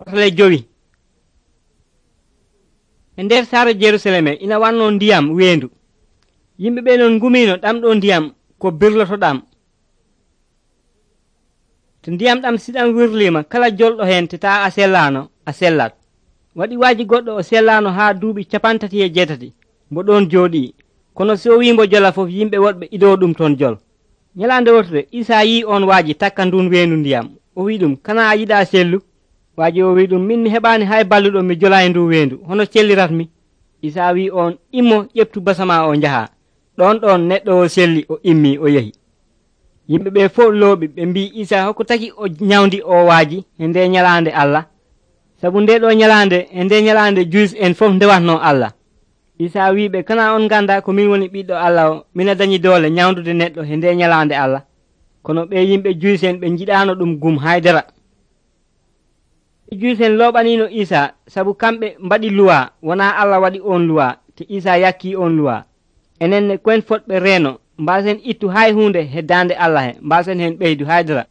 Otole 5. E nder saare Jerusalem ina wanno ndiyam weendu. Yimɓe ɓe non ngumino ɗamɗo ndiyam ko birlotoɗam. To ndiyam ɗam siɗam wirlima kala jolɗo hen teta a sellano a sellat. Waɗi waaji goɗɗo o sellano haa duuɓi 38 mbo ɗon jooɗi, kono so wimbo jola fof yimɓe woɗɓe ido ɗum ton jol. Nyalande wotere Isa yi on waaji takka ndun weendu ndiyam. O wi ɗum, kana a yiɗa sellu? Waaji o wi ɗum, min mi heɓani hay balluɗo mi jola e ndu weendu, hono celliratmi? Isa wi on, immo ƴeftu basama o njaha. Ɗon neɗɗo o selli o immi o yehi. Yimɓe ɓe fof looɓi ɓe mbi Isa hokko tagi o nyawdi o waaji e nde nyalande Allah, sabu nde ɗo nyalande e nde nyalande Juus en fof ndewatno Allah. Isa wiɓe, kana on ganda ko min woni ɓiɗɗo Allah o, mina dañi doole nyawdude neɗɗo e nde nyalande Allah. Kono ɓe yimɓe Juus en ɓe jiɗano ɗum gum haydara. Juus en looɓanino Isa sabu kamɓe mbaɗi luwa, wona Allah waɗi on luwa, te Isa yakki on luwa. Enenne koen fotɓe reeno, mbasen ittu hay hunde he dande Allah he, mbasen hen ɓeydu haydara.